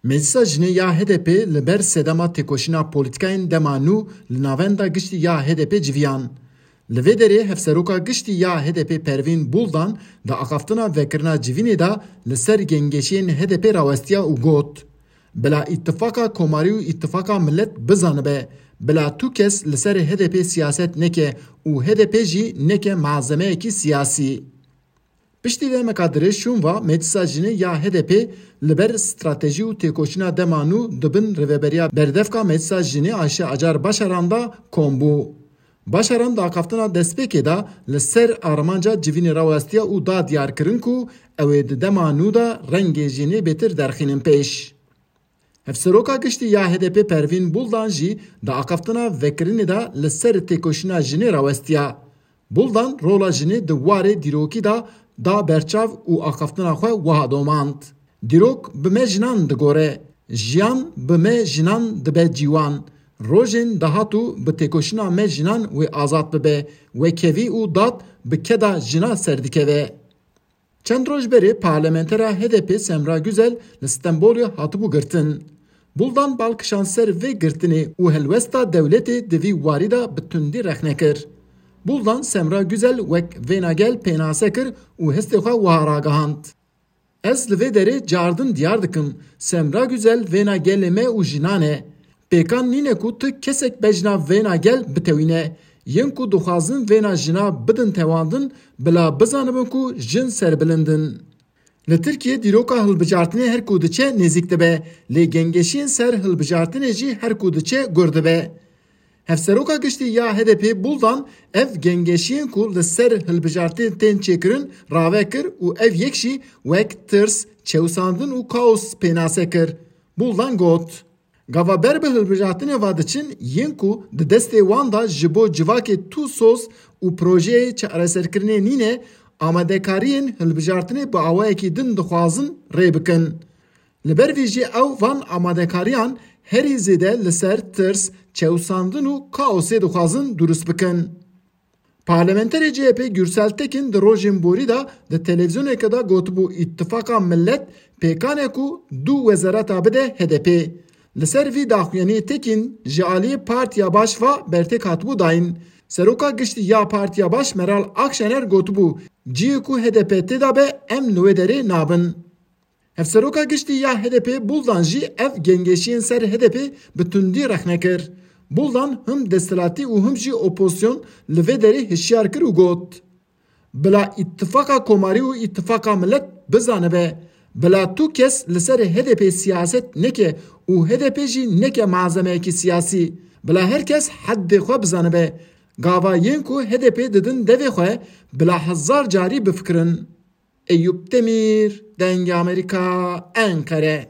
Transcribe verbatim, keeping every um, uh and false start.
Meclisa Jinê ya H D P li ber sedema têkoşîna polîtîkayên dema nû li navenda giştî ya H D P civiyan. Li vê derê hevseroka giştî ya H D P Pervîn Buldan di axaftina vekirina civînê de li ser gengeşiyên H D P rawestiya û got, Bila îtifaka komarî û îtifaka milet bizanibe, bila tu kes li ser H D P siyaset neke û H D P jî neke malzemeyekî siyasî. Piştî demeka dirêj şûn va Meclisa Jinê ya H D P li ber stratejî û têkoşîna dema nû di bin rêveberiya berdevka Meclisa Jinê Ayşe Acar Başaran de kom bû. Başaran di axaftina destpêkê de li ser armanca civînê rawestiya û da diyarkirin ku ew ê di dema nû de rengê jinê bêtir derxînin pêş. Hevseroka giştî ya H D P Pervîn Buldan jî di axaftina vekirinê de li ser têkoşîna jinê rawestiya. Buldan rola jinê di warê dîrokî de da berçav û axaftina xwe wiha domand, Dîrok bi me jinan digore, jiyan bi me jinan dibe cîwan. Rojên dahatû bi têkoşîna me jinan wê azad bibe, wekevî û dad bi keda jina serdikeve. Çend roj berê parlamentera H D P Semra Güzel li Stenbolê hatibû girtin. Buldan bal kişand ser vê girtinê û helwesta dewletê di vî warî de bi tundî rexne kir. Buldan Semra Güzel wek vêna gel pênase kir û hestê xwe wiha ragihand, Ez li vê derê cardin diyar dikim, Semra Güzel vêna gelê me û jinan e. Pêkan nîne ku tu kesek bejna vêna gel bitewîne. Yên ku dixwazin vêna jina bidin tewandin, bila bizanibin ku jin serbilind in. Li Tirkiyê dîroka hilbijartinê her ku diçe nêzîk dibe, lê gengeşiyên ser hilbijartinê jî her ku diçe gur dibe. Hevseroka giştî ya H D P Buldan ev gengeşiyên ku li ser hilbijartinê tên çêkirin rave kir û ev yek jî wek tirs, çewsandin û kaos pênase kir. Buldan got, Gava ber bi hilbijartinê ve diçin, yên ku di destê wan de ji bo civakê tu soz û projeyê çareserkirinê nîne, amadekariyên hilbijartinê bi awayekî din dixwazin rê bikin. Li ber vî jî ew van amadekariyan herî zêde li ser tirs, çewsandin û kaosê dixwazin durust bikin. Parlamenterê C H P Gürsel Tekin di rojên borî de di televîzyoneke de gotibû, Îttifaka Millet pêkan e ku du wezareta bide H D P. Li ser vî daxuyaniyê Tekin ji aliyê Partiya Baş ve bertêk hatibû dayîn. Seroka giştî ya Partiya Baş Meral Akşener gotibû, Cihê ku H D P tê de be em li wê derê nabin. Hevseroka giştî ya H D P Buldan jî ev gengeşiyên ser H D P bi tundî rexne kir. Buldan him desthilatî û him jî opozisyon li vê derê hişyar kir û got, Bila îtifaka komarî û îtifaka milet bizanibe, bila tu kes li ser H D P siyaset neke û H D P jî neke malzemeyekî siyasî. Bila her kes heddê xwe bizanibe. Gava yên ku H D P didin devê xwe, bila hezar carî bifikirin. Eyûp Demîr, Dengê Amerîka, Enqere.